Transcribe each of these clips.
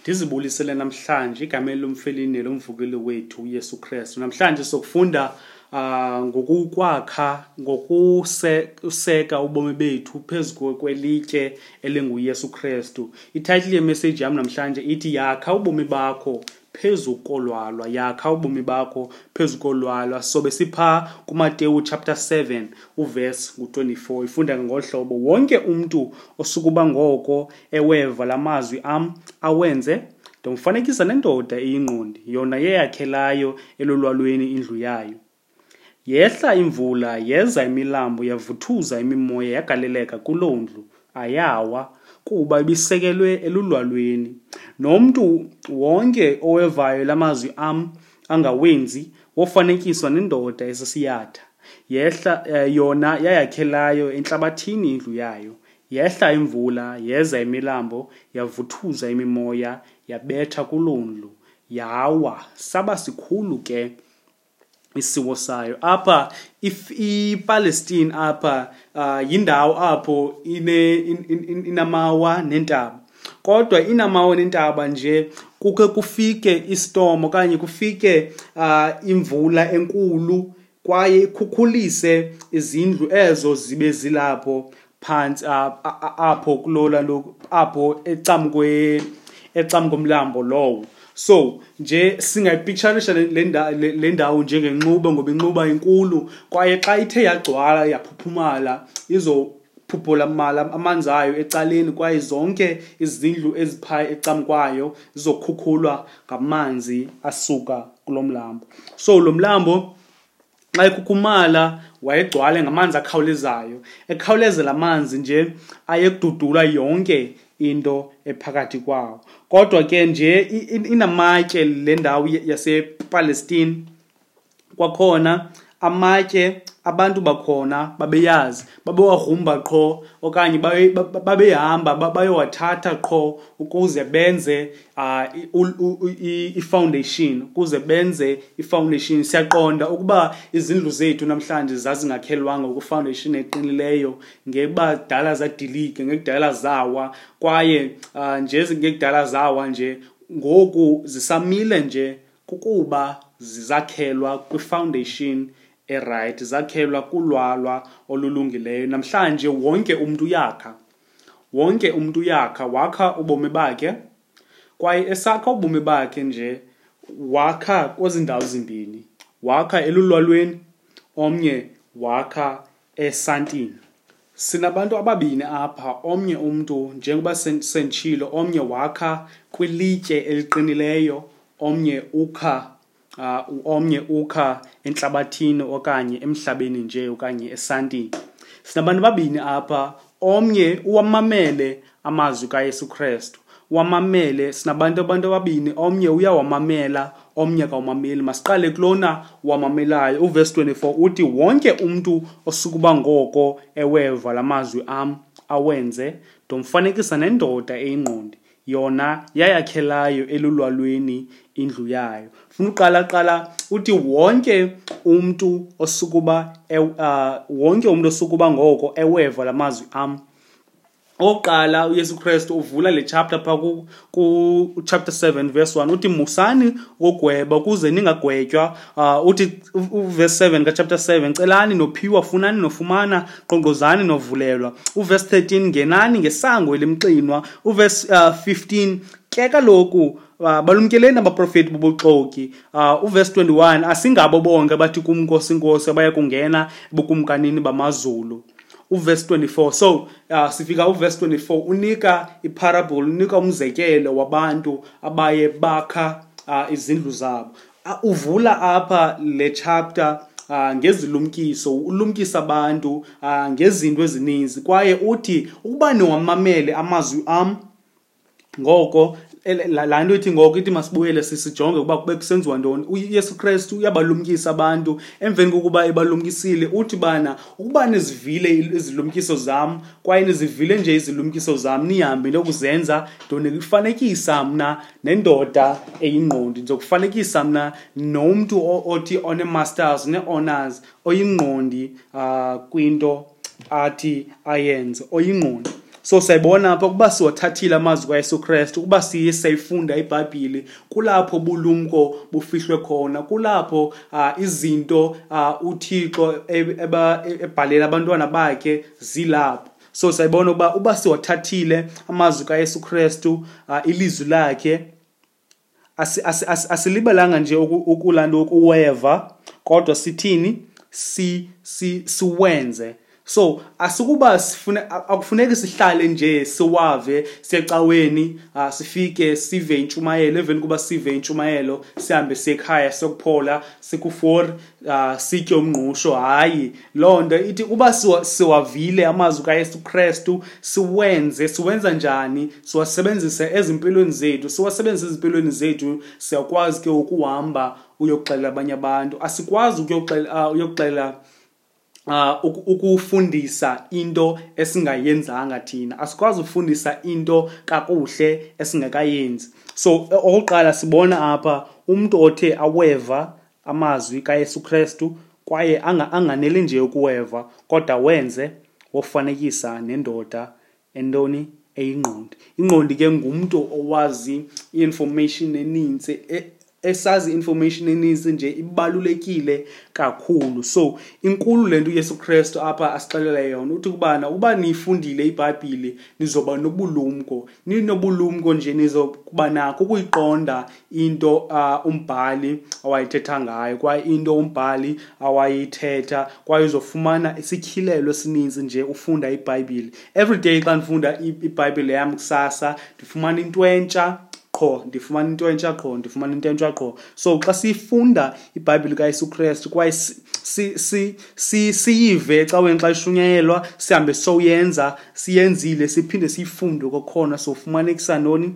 Ndizibulisele namhlanje igameni lomfeli nelomvukeli wethu uYesu Kristu. Namhlanje sokufunda ngokukwakha, ngokuseka ubomi bethu phezu kwelitye elinguYesu Kristu. Itayitile yemessage yam namhlanje ithi yakha ubomi bakho phezu kolwalwa, yakha ubomi bakho phezu kolwalwa. Sobe sipha kuMateyu chapter 7 uverse ngu-24, ifunda ngolu hlobo: wonke umntu osukuba ngoko eweva la mazwi am awenze, ndomfanekisa nendoda eyingqondi, yona yeyakhelayo elulwalweni indlu yayo. Yehla imvula, yeza imilambo, yavuthuza imimoya, yagaleleka kuloo ndlu, ayawa, kuba ibisekelwe elulwalweni. Nomntu wonke owevayo la mazwi am angawenzi, wofanekiswa nendoda esisiyatha. Yehla yona yayakhelayo entlabathini indlu yayo. Yehla imvula, yeza imilambo, yavuthuza imimoya, yabetha kuloo ndlu, yawa, saba sikhulu ke isiwo sayo. Apha iPalestine apha yindawo apho inamawa nentaba. Kodwa inamawa nentaba nje kuke kufike istorm okanye kufike imvula enkulu kwaye ikhukhulise izindlu ezo zibe zilapho phantsi apho kulola lo apho ecamkomlambo lowo. So nje singayipicturisha le ndawo njengenxuba, ngoba inxuba inkulu kwaye xa ithe yagcwala yaphuphumala izophuphula amanzi ayo ecaleni, kwaye zonke izindlu ezipha ecamkwayo zizokhukhulwa ngamanzi asuka kulo mlambo. So lo mlambo xa ekhukhumala wayegcwale ngamanzi akhawulezayo, ekhawulezela amanzi nje ayekududula yonke into ephakathi kwawo. Kodwa ke nje inamatye le ndawo yasePalestine, kwakhona amatye abantu bakhona babeyazi, babewagrumba qho okanye babehamba bayowathatha qho ukuze benze i-foundation, ukuze benze i-foundation. Siyaqonda ukuba izindlu zethu namhlanje zazingakhelwanga ku-foundation eqinileyo, ngekuba dala zadilika, ngekudala zawa, kwaye nje ngekudala zawa nje ngoku zisamile nje kukuba zizakhelwa kwi-foundation eright, zakhelwa kulwalwa olulungileyo. Namhlanje wonke umntu uyakha, wonke umntu uyakha, wakha ubomi bakhe, kwaye esakha ubomi bakhe nje wakha kwezi ndawo zimbini, wakha elulwalweni, omnye wakha esantini. Sinabantu ababini apha, omnye umntu njengoba senditshilo, omnye wakha kwilitye eliqinileyo, omnye ukha entlabathini okanye emhlabeni nje okanye esantini. Sinabantu ababini apha, omnye uwamamele amazwi kaYesu Kristu, uwamamele. Sinabantu abantu ababini, omnye uyawamamela, omnye akawamameli. Masiqale kulona wamamelayo. Uverse 24 uthi wonke umntu osukuba ngoko eweva la mazwi am awenze, ndomfanekisa nendoda eyingqondi, yona yayakhelayo elulwalweni indlu yayo. Funa uqala qala uthi wonke umntu osukuba wonke umntu osukuba ngoko eweva la mazwi am. Okokuqala uYesu Kristu uvula le chapter pha ku chapter 7 verse 1 uthi musani ukugweba ukuze ningagwetywa. Uthi uverse 7 ka chapter 7 celani nophiwa, funani nofumana, qoqozani novulelwa. Uverse 13 ngenani ngesango elimxinwa. Uverse 15 ke kaloku balumkeleni abaprofeti bobuxoki. Uverse 21 asingabo bonke abathi kum Nkosi Nkosi abaya kungena ebukumkanini bamazulu. Uverse 24, so sifika uverse 24 unika iparable, unika umzekelo wabantu abaye bakha izindlu zabo. Uvula apha le chapter ngezilumkiso, ulumkisa abantu ngezinto ezininzi, kwaye uthi ukuba niwamamele amazwi am ngoko laa nto ithi ngoko ithi masibuyele sijonge ukuba kube kusenziwa ntoni. UYesu Kristu uyabalumkisa abantu. Emveni kokuba ebalumkisile uthi bana ukuba nizivile izilumkiso zam, kwaye nizivile nje izilumkiso zam, nihambe niyokuzenza, ndonifanekisa mna nendoda eyingqondi, ndizokufanekisa mna nomntu othi one-masters ne-honors, oyingqondi kwinto athi ayenze, oyingqondi. So siyayibona apha ukuba siwathathile amazwi kaYesu Krestu, ukuba siye sayifunda iBhayibhile, kulapho ubulumko bufihlwe khona, kulapho izinto uThixo ebhalela abantwana bakhe zilapho. So siyayibona uba siwathathile amazwi kaYesu Krestu, ilizwi lakhe, asilibelanga nje ukulaa ukuweva, kodwa sithini? Siwenze. So asikuba sifune, akufuneki sihlale nje siwave siyecaweni, sifike sive intshumayelo, emveni kuba sive intshumayelo sihambe siyekhaya siyokuphola siku-4, sitye umngqusho. Hayi, loo nto ithi uba siwavile amazwi kaYesu Krestu, siwenze. Siwenza njani? Siwasebenzise ezimpilweni zethu. Siwasebenzise ezimpilweni zethu, siyakwazi ke ukuhamba uyokuxelela abanye abantu. Asikwazi uyokuxelela ukufundisa into esingayenzanga thina. Asikwazi ukufundisa into kakuhle esingekayenzi. So okokuqala sibona apha umntu othe aweva amazwi kaYesu Krestu kwaye anganeli nje ukuweva, kodwa wenze, wofanekisa nendoda entoni? Eyingqondi. Ingqondi ke ngumntu owazi i-information eninzi, esazi information eninzi nje, ibalulekile kakhulu. So inkulu le nto uYesu Krestu apha asixelela yona, uthi kubana uba niyifundile iBhayibhile nizoba nobulumko, ninobulumko nje nizokuba nakho ukuyiqonda into umbhali awayithetha ngayo, kwaye into umbhali awayithetha, kwaye uzofumana isityhilelo esininzi nje ufunda iBhayibhile. Every day xa ndifunda iBhayibhile yam kusasa, ndifumana into entsha qho, ndifumana into entsha qho, ndifumana into entsha qho. So xa sifunda iBhayibhile kaYesu Krestu kwaye siyive ecaweni xa ishunyayelwa, sihambe soyenza, siyenzile, siphinde siyifunde kwakhona, sofumanekisa ntoni?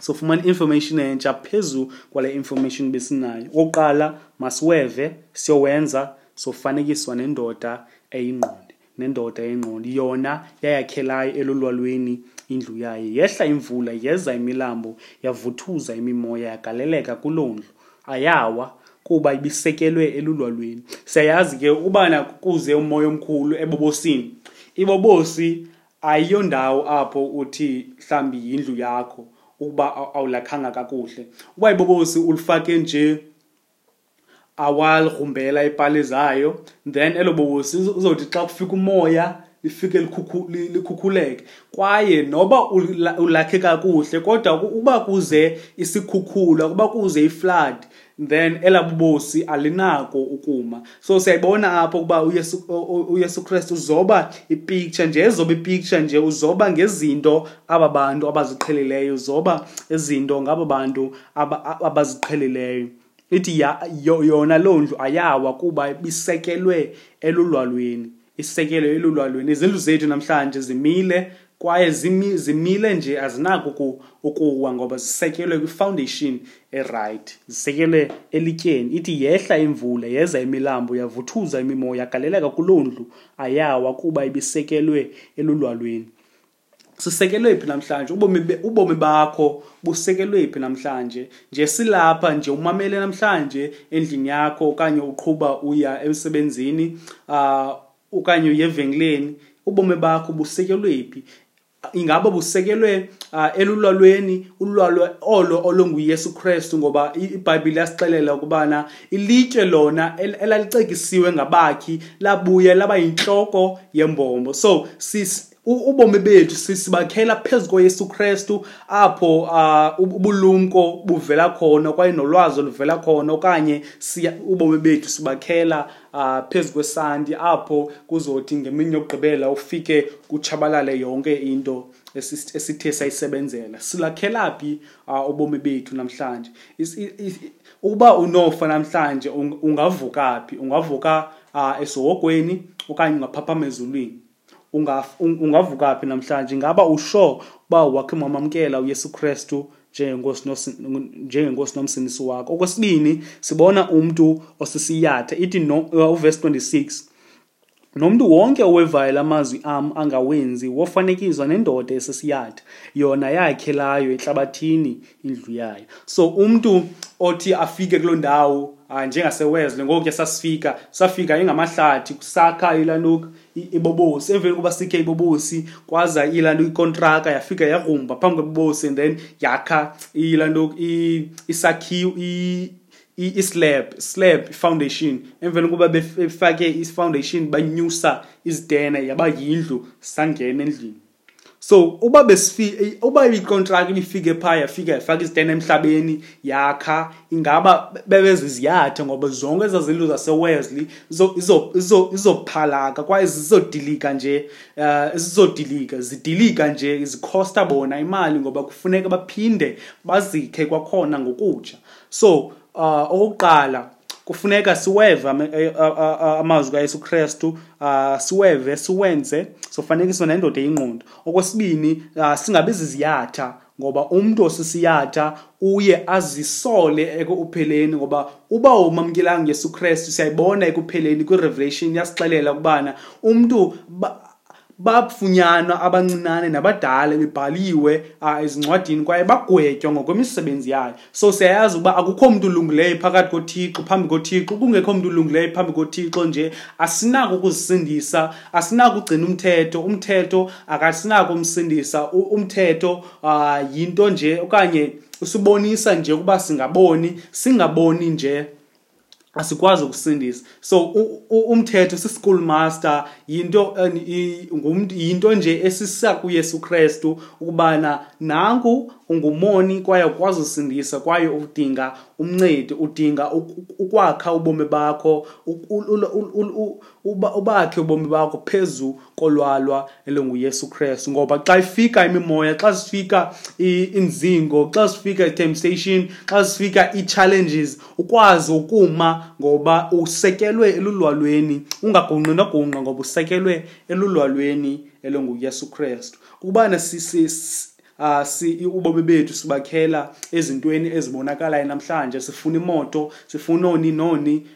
Sofumana information entsha phezu kwale information besinayo. Okokuqala masiweve, siyowenza, sofanekiswa nendoda eyingqondi. Nendoda eyingqondi yona yayakhelayo elulwalweni indlu yayo. Yehla imvula, yeza imilambo, yavuthuza imimoya, yagaleleka kuloo ndlu. Ayawa kuba ibisekelwe elulwalweni. Siyayazi ke ubana kuze umoya omkhulu ebobosini. Ibobosi ayiyondawo apho uthi mhlambi yindlu yakho ukuba awulakhanga kakuhle. Uba ibobosi ulifake nje awalgrumbela ipali zayo, then elo bobosi uzothi xa kufika umoya lifike likhukhuleke. Kwaye noba ulakhe kakuhle, kodwa uba kuze isikhukhula, uba kuze iflood, then elaa bobosi alinako ukuma. So siyayibona apho ukuba uYesu Krestu uzoba ipicture nje, ezoba ipicture nje, uzoba ngezinto aba bantu abaziqhelileyo, uzoba izinto ngaba bantu abaziqhelileyo. Ithi yona loo ndlu ayawa kuba ibisekelwe elulwalweni, isekelwe elulwalweni. Izindlu zethu namhlanje zimile kwaye zimile nje, azinako ukuwa ngoba zisekelwe kwi-foundation e-right, zisekelwe elityeni. Ithi yehla imvula, yeza imilambo, yavuthuza imimoya, yagaleleka kuloo ndlu, ayawa kuba ibisekelwe elulwalweni. Sisekelwe phi namhlanje? Ubomi bakho busekelwe phi namhlanje? Nje silapha nje umamele namhlanje endlini yakho, okanye uqhuba uya emsebenzini, okanye uye evenkileni, ubomi bakho busekelwe phi? Ingaba busekelwe elulwalweni, ulwalwa olo olunguYesu Krestu? Ngoba iBhayibhile yasixelela ukubana ilitye lona elalicekisiwe ngabakhi labuya laba yintloko yembombo. So ubomi bethu sibakhela phezu koYesu Krestu, apho ubulumko buvela khona kwaye nolwazi oluvela khona, okanye ubomi bethu sibakhela phezu kwesanti, apho kuzothi ngemini yokugqibela ufike kutshabalale yonke into esithe sayisebenzela. Silakhela phi ubomi bethu namhlanje? Ukuba unofa namhlanje, ungavuka phi? Ungavuka esihogweni okanye ungaphaphama ezulwini? Ungavuka phi namhlanje? Ingaba usho uba wakhe wamamkela uYesu Krestu njengenkosi nomsindisi wakho? Okwesibini, sibona umntu osisiyatha. Ithi uverse 26, nomntu wonke owevayo la mazwi am angawenzi wofanekiswa nendoda esisiyatha, yona yakhelayo entlabathini indlu yayo. So umntu othi afike kuloo ndawo njengaseWesley ngoku sasifika, safika ingamahlathi kusakha ilantuka ibobosi. Emveni kokuba sikhe ibobosi kwaza ilantuka ikontraka yafika yagrumba phambi kwebobosi, and then yakha ilantuka isakhiwo i-slab foundation. Emveni kokuba befake i-foundation banyusa izitena yaba yindlu, sangena endlini. So uba uba ikontraki ibifike phaa yafika yafaka izitena emhlabeni yakha, ingaba bebeziziyatha ngoba zonke ezaa zindlu zaseWesley izophalaka kwaye zizodilika nje, zizodilika, zidilika nje, zikhosta bona imali ngoba kufuneka baphinde bazikhe kwakhona ngokutsha. So okokuqala kufuneka siweve amazwi kaYesu Krestu, siweve, siwenze, sofanekiswa nendoda eyingqondo. Okwesibini, singabi ziziyatha ngoba umntu osisiyatha uye azisole ekupheleni, ngoba uba umamkelanga uYesu Krestu, siyayibona ekupheleni kwiRevelation yasixelela ukubana umntu bafunyanwa abancinane nabadala bebhaliwe ezincwadini kwaye bagwetywa ngokwemisebenzi yayo. So siyayazi ukuba akukho mntu ulungileyo phakathi koThixo, phambi koThixo, kungekho mntu ulungileyo phambi koThixo nje asinako ukuzisindisa, asinako ukugcina umthetho, umthetho akasinako umsindisa, umthetho yinto nje okanye usibonisa nje ukuba singaboni, singaboni nje asikwazi ukusindisa. So umthetho si-school master, yinto, ngumntu, yinto nje esisa kuYesu Krestu ukubana nanku ungumoni kwaye ukwazi usindisa, kwaye udinga umncedi, udinga ukwakha ubomi bakho, ubakhe ubomi bakho phezu kolwalwa elinguYesu Krestu. Ngoba xa ifika imimoya, xa sifika inzingo, xa sifika i-temptation, xa sifika i-challenges, ukwazi ukuma ngoba usekelwe elulwalweni, ungagungqi nogungqa ngoba usekelwe elulwalweni elinguYesu Krestu. Ukubana ubomi bethu sibakhela ezintweni ezibonakalayo namhlanje, sifuna imoto, sifuna oni noni,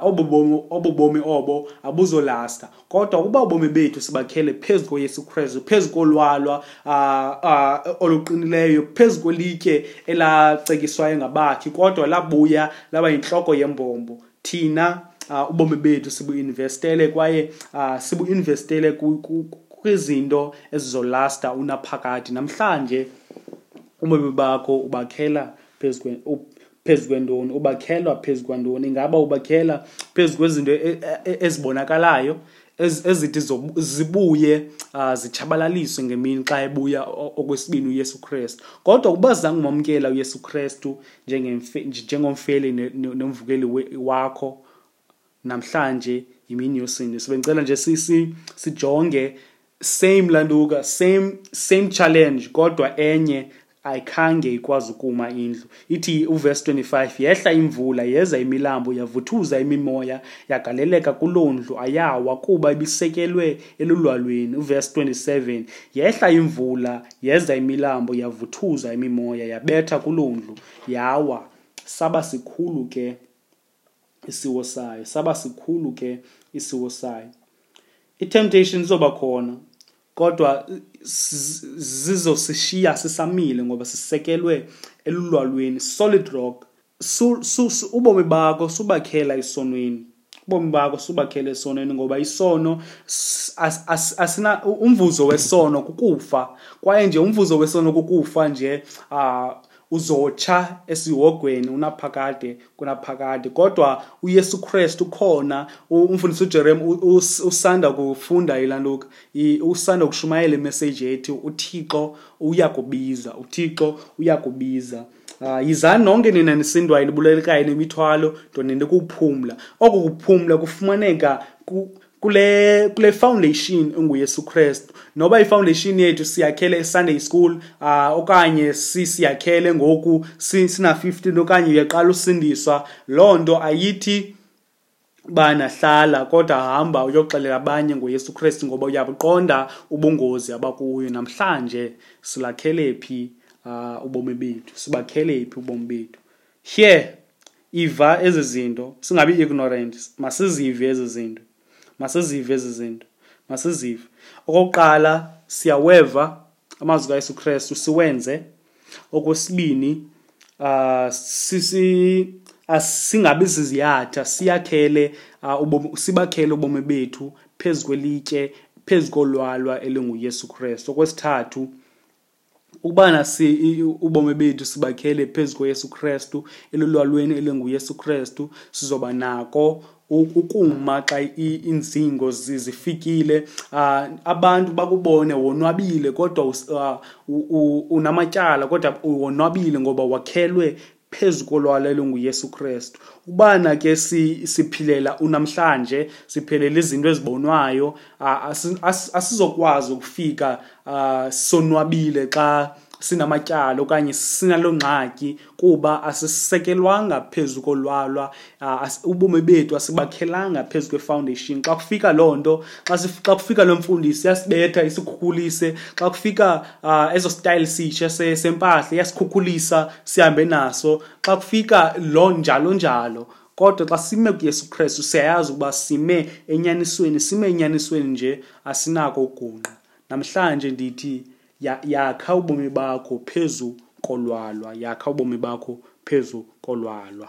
obo bomi obo abuzolasta. Kodwa ukuba ubomi bethu sibakhele phezu koYesu Krestu, phezu kolwalwa oluqinileyo, phezu kwelitye elacekiswayo ngabakhi kodwa labuya laba yintloko yembombo, thina ubomi bethu sibuinvestele kwaye sibuinvestele kwizinto ezizolasta unaphakade. Namhlanje ubomi bakho ubakhela phezu kwentoni? Ubakhelwa phezu kwantoni? Ingaba ubakhela phezu kwezinto ezibonakalayo ezithi zibuye zitshabalaliswe ngemini xa ebuya okwesibini uYesu Krestu? Kodwa ukuba zange umamkela uYesu Krestu njengomfeli nomvukeli wakho, namhlanje yimini yosindiso. Bendicela nje sijonge same lantuka, same challenge, kodwa enye ayikhange ikwazi ukuma indlu. Ithi uverse 25, yehla imvula, yeza imilambo, yavuthuza imimoya, yagaleleka kuloo ndlu, ayawa kuba ibisekelwe elulwalweni. Uverse 27, yehla imvula, yeza imilambo, yavuthuza imimoya, yabetha kuloo ndlu, yawa. Saba sikhulu ke isiwo sayo, saba sikhulu ke isiwo sayo. I-temptation izoba khona, kodwa zizosishiya sisamile ngoba sisekelwe elulwalweni, solid rock. Ubomi bakho subakhela esonweni, ubomi bakho subakhela esonweni, ngoba isono asina umvuzo wesono kukufa, kwaye nje umvuzo wesono kukufa nje, uzotsha esihogweni unaphakade kunaphakade. Kodwa uYesu Krestu ukhona. Umfundisi uJeremy usanda kufunda ilantuka, usanda kushumayela imessage ethi uThixo uyakubiza, uThixo uyakubiza. Yizani nonke nina nisindwayo nibulelekayo nemithwalo, ndoninde kuphumla. Oko kuphumla kufumaneka kule foundation enguYesu Krestu. Noba i-foundation yethu siyakhele e-Sunday school, okanye siyakhele ngoku sina 15 okanye uyaqala usindiswa, loo nto ayithi bana hlala, kodwa hamba uyoxelela abanye ngoYesu Krestu ngoba uyabuqonda ubungozi abakuyo. Namhlanje silakhele phi ubomi bethu? Sibakhele phi ubomi bethu? Here, iva ezi zinto, singabi ignorant, masizive ezi zinto. Masizive ezi zinto, masizive. Okokuqala, siyaweva amazwi kaYesu Krestu, siwenze. Okwesibini, Singabi ziziyatha, siyakhele ubomi, sibakhele ubomi bethu phezu kwelitye, phezu kolwalwa elinguYesu Kristu. Okwesithathu, ukubana ubomi bethu sibakhele phezu koYesu Kristu, elulwalweni elinguYesu Kristu, sizoba nako ukuma xa iinzingo zifikile. Abantu bakubone wonwabile, kodwa unamatyala, kodwa wonwabile ngoba wakhelwe phezu kolwalwa elinguYesu Kristu. Ubana ke siphilela unamhlanje, siphilela izinto ezibonwayo, asizokwazi ukufika sonwabile xa sinamatyala okanye sinaloo ngxaki, kuba asisekelwanga phezu kolwalwa, ubomi bethu asibakhelanga phezu kwe-foundation. Xa kufika loo nto, xa kufika loo mfundisi iyasibetha isikhukhulise, xa kufika eso style sitsha sempahla iyasikhukhulisa sihambe naso, xa kufika loo njalo njalo. Kodwa xa sime kuYesu Kristu siyayazi ukuba sime enyanisweni, sime enyanisweni nje asinako ukugungqa. Namhlanje ndithi yakha ubomi bakho phezu kolwalwa, yakha ubomi bakho phezu kolwalwa.